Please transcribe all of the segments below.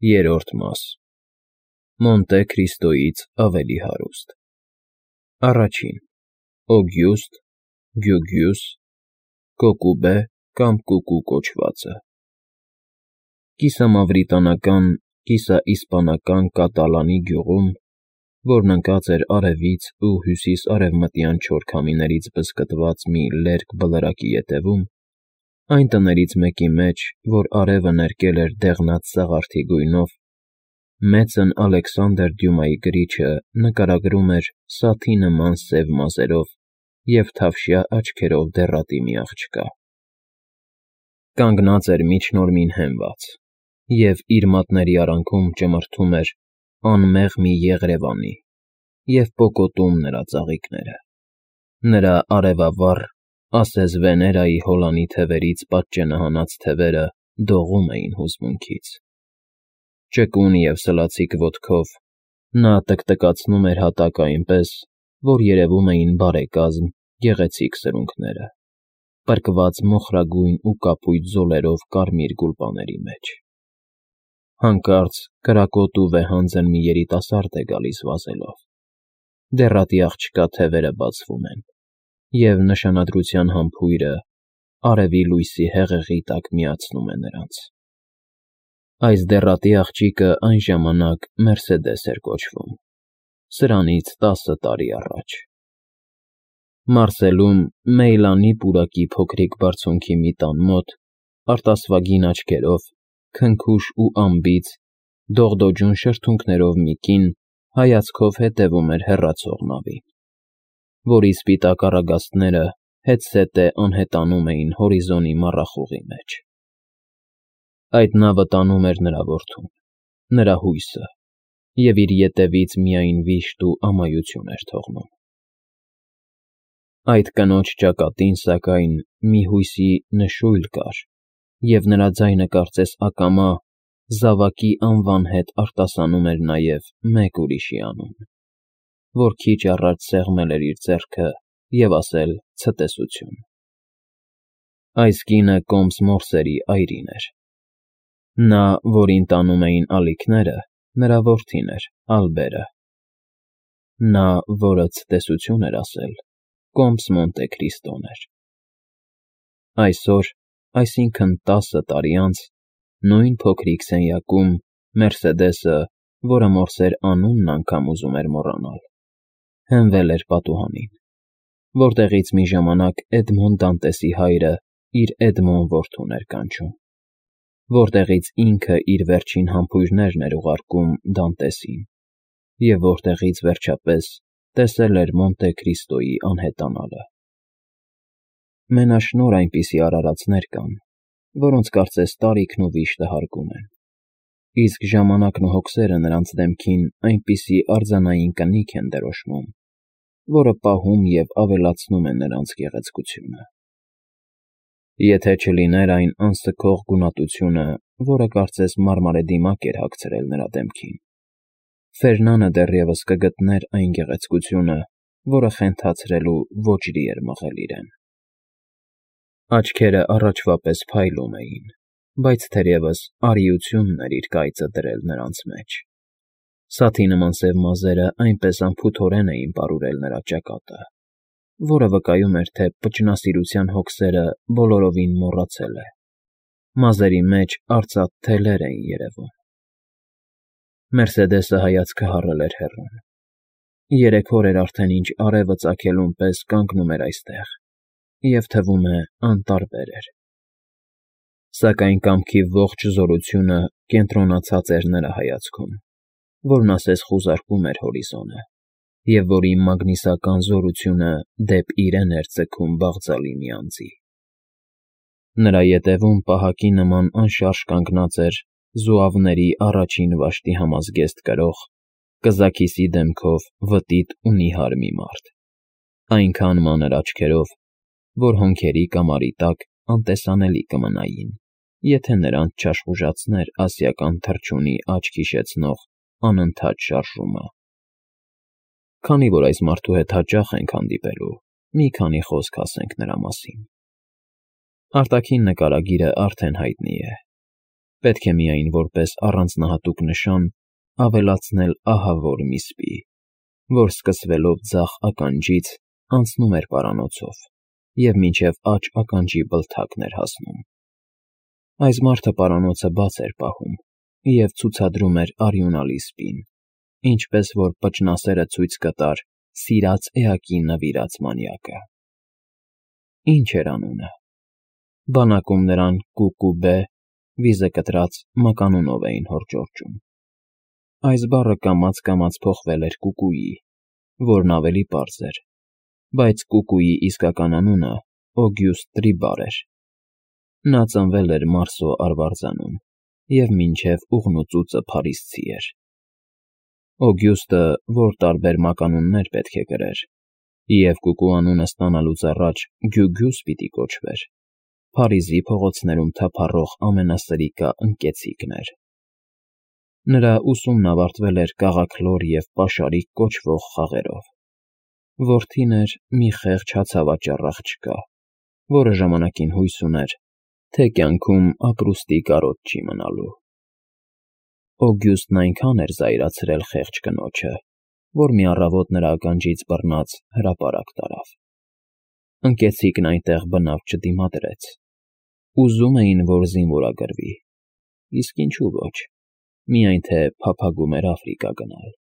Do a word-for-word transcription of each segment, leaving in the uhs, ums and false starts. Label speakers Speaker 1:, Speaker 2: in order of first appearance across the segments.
Speaker 1: Երրորդ մաս Մոնտե Քրիստոյից ավելի հարուստ Առաջին Օգյուստ, Գյուգյուս, Կոկուբե կամ Կուկու կոչվածը Կիսամավրիտանական, կիսաիսպանական Կատալանի գյուղում, որն ընկած էր արևից ու հյուսիս֊արևմտյան չոր քամիներից բզկտված մի լերկ բլրակի ետևում, այն տներից մեկի մեջ, որ արևը ներկել էր դեղնած սաղարթի գույնով, մեծն Ալեքսանդր Դյումայի գրիչը նկարագրում էր սաթի նման սև մազերով և թավշյա աչքերով դեռատի մի աղջկա. կանգնած էր միջնորմին հենված և իր մատների արանքում ճմրթում էր անմեղ մի եղրևանի և պոկոտում նրա ծաղիկները, նրա արևավառ, ասես Վեներայի հոլանի թևերից պատճենահանած թևերը դողում էին հուզմունքից, ճկուն և սլացիկ ոտքով նա տկտկացնում էր հատակը այնպես, որ երևում էին բարեկազմ, գեղեցիկ սրունքները, պրկված մոխրագույն ու կապույտ զոլերով կարմիր գուլպաների մեջ, հանկարծ կրակոտ ու վեհանձն մի երիտասարդ է գալիս վազելով, դեռատի աղջկա թևերը բացվում են, և նշանադրության համբույրը արևի լույսի հեղեղի տակ միացնում է նրանց. այս դեռատի աղջիկը այն ժամանակ Մերսեդես էր կոչվում, սրանից տասը տարի առաջ, Մարսելում Մեյլանի պուրակի փոքրիկ բարձունքի մի տան մոտ, արտասվագին աչքերով, քնքուշ ու անբիծ, դողդոջուն շրթունքներով մի կին հայացքով հետևում էր հեռացող նավին, որի սպիտակ առագաստները հետզհետե անհետանում էին հորիզոնի մառախուղի մեջ. այդ նավը տանում էր նրա որդուն, նրա հույսը, և իր ետևից միայն վիշտ ու ամայություն էր թողնում. Այդ կնոջ ճակատին, սակայն, մի հույսի նշույլ կար, և նրա ձայնը կարծես ակամա, զավակի անվան հետ արտասանում էր նաև մեկ ուրիշի անուն, որ քիչ առաջ սեղմել էր իր ձեռքը և ասել ցտեսություն. այս կինը կոմս Մորսերի այրին էր, նա, որին տանում էին ալիքները, նրա որդին էր, Ալբերը, նա, որը ցտեսություն էր ասել, կոմս Մոնտե Քրիստոն էր. այսօր, այսինքն տասը տարի անց, նույն փոքրիկ սենյակում Մերսեդեսը, որը Մորսեր անունն անգամ ուզում էր մոռանալ, հենվել էր պատուհանին, որտեղից մի ժամանակ Էդմոն Դանտեսի հայրը իր Էդմոն որդուն էր կանչում, որտեղից ինքը իր վերջին համբույրներն էր ուղարկում Դանտեսին և որտեղից, վերջապես, տեսել էր Մոնտե Քրիստոյի անհետանալը. մենաշնորհ այնպիսի արարածներ կան, որոնց կարծես տարիքն ու վիշտը հարգում են, իսկ ժամանակն ու հոգսերը նրանց դեմքին այնպիսի արձանային կնիկ են դրոշմում, որը պահում և ավելացնում է նրանց գեղեցկությունը. եթե չլիներ այն անսքող գունատությունը, որը կարծես մարմարե դիմակ էր հագցրել նրա դեմքին, Ֆերնանը դեռևս կգտներ այն գեղեցկությունը, որը խենթացրել ու ոճրի էր մղել իրեն. աչքերը առաջվա պես փայլում էին, բայց թերևս արիությունն էր իր կայծը դրել նրանց մեջ, սաթի նման սև մազերը այնպես անփութորեն էին պարուրել նրա ճակատը, որը վկայում էր, թե պճնասիրության հոգսերը բոլորովին մոռացել է, մազերի մեջ արծաթ թելեր էին երևում. Մերսեդեսը հայացքը հառել էր հեռուն, երեք օր էր արդեն ինչ արևը ծագելուն պես կանգնում էր այստեղ և թվում է անտարբեր էր, սակայն կամքի ողջ զորությունը կենտրոնացած էր նրա հայացքում, որն ասես խուզարկում էր հորիզոնը և որի մագնիսական զորությունը դեպ իրեն էր ձգում բաղձալի մի անձի. նրա ետևում պահակի նման անշարժ կանգնած էր զուավների առաջին վաշտի համազգեստ կրող, կզաքիսի դեմքով վտիտ ու նիհար մի մարդ, այնքան մանր աչքերով, որ հոնքերի կամարի տակ անտեսանելի կմնային, եթե նրանց չաշխուժացներ ասիական թռչունի աչք հիշեցնող անընդհատ շարժումը. Քանի որ այս մարդու հետ հաճախ ենք հանդիպելու, մի քանի խոսք ասենք նրա մասին. արտաքին նկարագիրը արդեն հայտնի է, Պետք է միայն որպես առանձնահատուկ նշան ավելացնել ահա որ մի սպի, որ սկսվելով ձախ ականջից անցնում էր պարանոցով և մինչև աջ ականջի բլթակն էր հասնում։ Այս մարդը պարանոցը բաց էր պահում և ցուցադրում էր արյունալի սպին, ինչպես որ պճնասերը ցույց կտար սիրած էակին նվիրած մանյակը։ Ինչ էր անունը։ Բանակում նրան Կուկուբե, վիզը կտրած մականունով էին հորդորճում։ Այս բառը կամաց֊կամաց փոխվել էր Կուկուի, որն ավելի պարզ էր, բայց Կուկուի իսկական անունը Օգյուստ Տրիբար էր։ Նա ծնվել էր Մարսո արվարձանում և մինչև ուղնուծուծը փարիսցի էր։ Օգյուստը որ տարբեր մականուններ պետք է կրեր, և Կուկու անունը ստանալուց առաջ Գյուգյուս պիտի կոչվեր, Փարիզի փողոցներում թափառող ամենասրիկա ընկեցիկն էր։ Նրա ուսումն ավարտվել էր կաղաքլոր և պաշարիկ կոչվող խաղերով։ Որդին էր մի խեղճ հացավաճառ աղջկա, որը ժամանակին հույս ուներ, թե կյանքում ապրուստի կարոտ չի մնալու։ Օգյուստն այնքան էր զայրացրել խեղճ կնոջը, որ մի առավոտ նրա ականջից բռնած հրապարակ տարավ։ Ընկեցիկն այնտեղ բնավ չդիմադրեց։ Ուզում էին, որ զինվորագրվի, իսկ ինչու ոչ, միայն թե փափագում էր Աֆրիկա գնալ։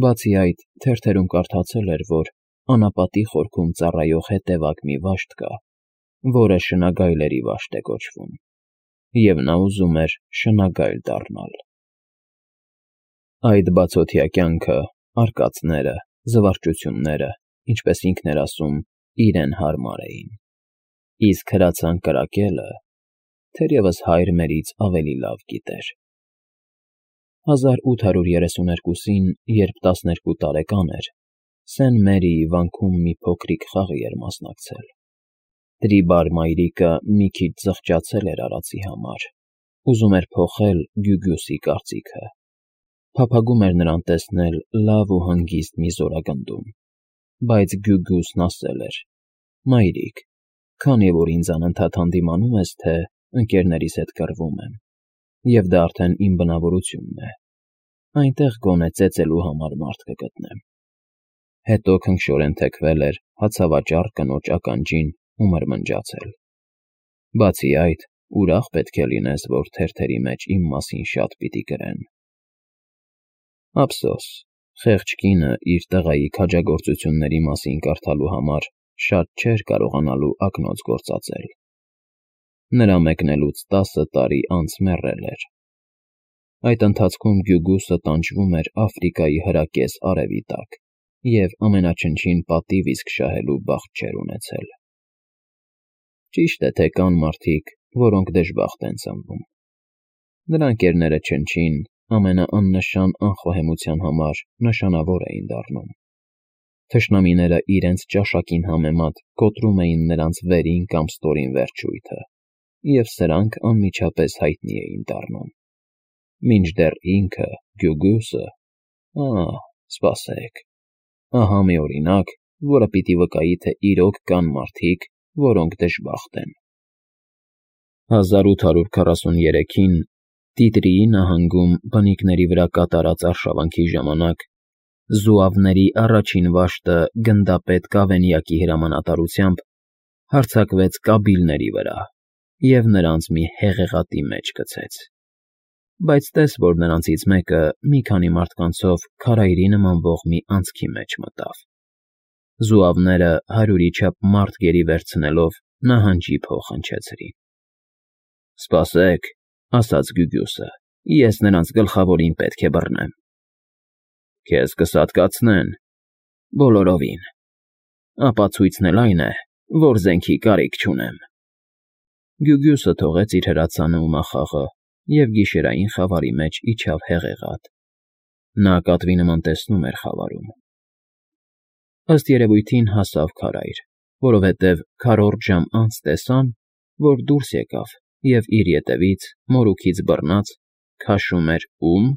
Speaker 1: Բացի այդ, թերթերում կարդացել էր, որ անապատի խորքում ծառայող հետևակ մի վաշտ կա, որը շնագայլերի վաշտ է կոչվում, և նա ուզում էր շնագայլ դառնալ։ Այդ բացօթյա կյանքը, արկածները, զվարճությունները, ինչպես ինքն էր ասում, իրեն հարմար էին, իսկ հրացան կրակելը թերևս հայր մերից ավելի լավ գիտեր։ հազար ութ հարյուր երեսուներկուսին, երբ տասներկու տարեկան էր, Սեն Մերիի վանքում մի փոքրիկ խաղի էր մասնակցել։ Տրիբար մայրիկը մի քիչ զղջացել էր արածի համար, ուզում էր փոխել Գյուգյուսի կարծիքը, փափագում էր նրան տեսնել լավ ու հանգիստ մի զորագնդում, բայց Գյուգյուսն ասել էր. «Մայրիկ, քանի որ ինձ անընդհատ հանդիմանում ես, թե ընկերներիս հետ կռվում եմ, և դա արդեն իմ բնավորությունն է, այնտեղ գոնե ծեծելու համար մարդ կգտնեմ»։ Հետո քնքշորեն թեքվել էր հացավաճառ կնոջ ականջին ու մրմնջացել. «Բացի այդ, ուրախ պետք է լինես, որ թերթերի մեջ իմ մասին շատ պիտի գրեն»։ Ափսոս, խեղճ կինը իր տղայի քաջագործությունների մասին կարդալու համար շատ չէր կարողանալու ակնոց գործածել։ Նրա մեկնելուց տասը տարի անց մեռել էր։ Այդ ընթացքում Գյուգյուսը տանջվում էր Աֆրիկայի հրակես արևի տակ և ամենաչնչին պատիվ իսկ շահելու բախտ չէր ունեցել։ Ճիշտ է, թե կան մարդիկ, որոնք դժբախտ են ծնվում։ Նրա ընկերները չնչին, ամենաաննշան անխոհեմության համար նշանավոր էին դառնում։ Թշնամիները իրենց ճաշակին համեմատ կոտրում էին նրանց վերին կամ ստորին վերջույթը, և սրանք անմիջապես հայտնի էին դառնում։ Մինչդեռ ինքը՝ Գյուգյուսը… Ահ, սպասեք… Ահա մի օրինակ, որը պիտի վկայի, թե իրոք կան մարդիկ, որոնք դժբախտ են։ հազար ութ հարյուր քառասուներեքին Տիտրիի նահանգում բնիկների վրա կատարած արշավանքի ժամանակ զուավների առաջին վաշտը գնդապետ Կավենյակի հրամանատարությամբ հարձակվեց կաբիլների վրա և նրանց մի հեղեղատի մեջ գցեց։ Բայց տես, որ նրանցից մեկը մի քանի մարդկանցով քարայրի նմանվող մի անցքի մեջ մտավ։ Զուավները հարյուրի չափ մարդ գերի վերցնելով նահանջի փող հնչեցրին։ «Սպասեք», ասաց Գյուգյուսը, «ես նրանց գլխավորին պետք է բռնեմ»։ «Քեզ կսատկացնեն»։ «Բոլորովին»։ «Ապացույցն էլ այն է, որ զենքի կարիք չունեմ»։ Գյուգյուսը թողեց իր հրացանը ու նախաղը և գիշերային խավարի մեջ իջավ հեղեղատ։ Նա կատվի նման տեսնում էր խավարում։ Ըստ երևույթին հասավ քարայր, որովհետև քառորդ ժամ անց տեսան, որ դուրս եկավ և իր ետևից, մորուքից բռնած, քաշում էր ում…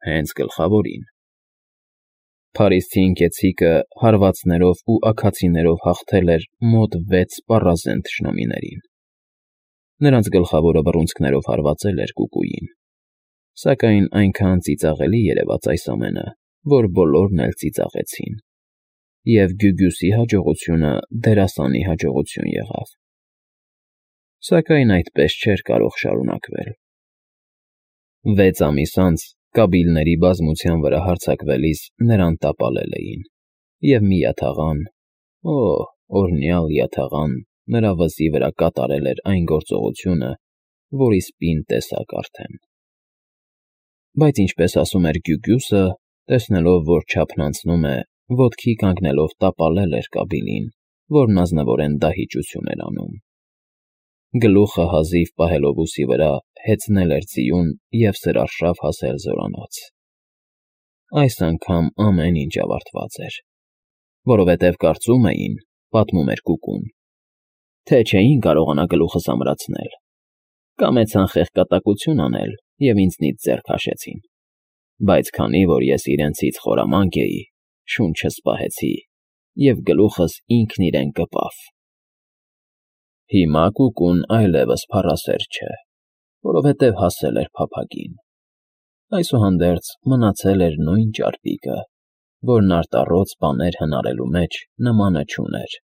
Speaker 1: հենց գլխավորին։ Փարիսցի ընկեցիկը հարվածներով ու աքացիներով հաղթել էր մոտ վեց սպառազեն թշնամիներին։ Նրանց գլխավորը բռունցքներով հարվածել էր կուկուին, սակայն այնքան ծիծաղելի երևաց այս ամենը, որ բոլորն էլ ծիծաղեցին, և Գյուգյուսի հաջողությունը դերասանի հաջողություն եղավ։ Սակայն այդպես չէր կարող շարունակվել։ Վեց ամիս անց կաբիլների բազմության վրա հարձակվելիս նրան տապալել էին, և մի յաթաղան, օ, օրհնյալ յաթաղան, նրա վզի վրա կատարել էր այն գործողությունը, որ իսպին տեսակ արդեն։ Բայց ինչպես ասում էր Գյուգյուսը, տեսնելով, որ չափն անցնում է, ոտքի կանգնելով տապալել էր կաբիլին, որն ազնվորեն դահիճություն էր անում։ Գլուխը հազիվ պահելով ուսի վրա, հեծնել էր ձիուն և սրարշավ հասել զորանոց։ Այս անգամ ամեն ինչ ավարտված էր, որովհետև կարծում էին, պատմում էր կուկուն, թե չէին կարողանա գլուխս ամրացնել, կամեցան խեղկատակություն անել և ինձնից ձեռ քաշեցին, բայց քանի որ ես իրենցից խորամանկ էի, շունչս պահեցի, և գլուխս ինքն իրեն կպավ։ Հիմա կուկուն այլևս փառասեր չէ, որովհետև հասել էր փափագին, այսուհանդերձ մնացել էր նույն ճարպիկը, որն արտառոց բաներ հնարելու մեջ նմանը չուներ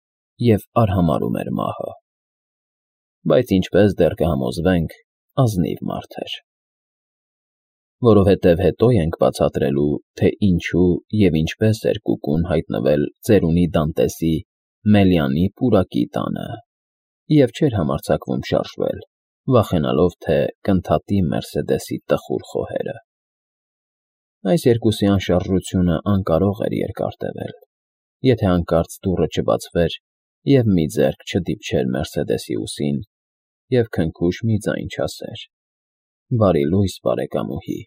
Speaker 1: և արհամարհում էր մահը։ Բայց ինչպես դեռ կհամոզվենք, ազնիվ մարդ էր։ Որովհետև հետո ենք բացատրելու, թե ինչու և ինչպես էր կուկուն հայտնվել ծերունի Դանտեսի Մելիանի պուրակի տանը և չէր համարձակվում շարժվել, վախենալով, թե կընդհատի Մերսեդեսի տխուր խոհերը։ Այս երկուսի անշարժությունը անկարող էր երկար տևել, եթե հանկարծ դուռը չբացվեր, և մի ձեռք չդիպչեր Մերսեդեսի ուսին և քնքուշ մի ձայն չասեր. «Բարի լույս, բարեկամուհի»։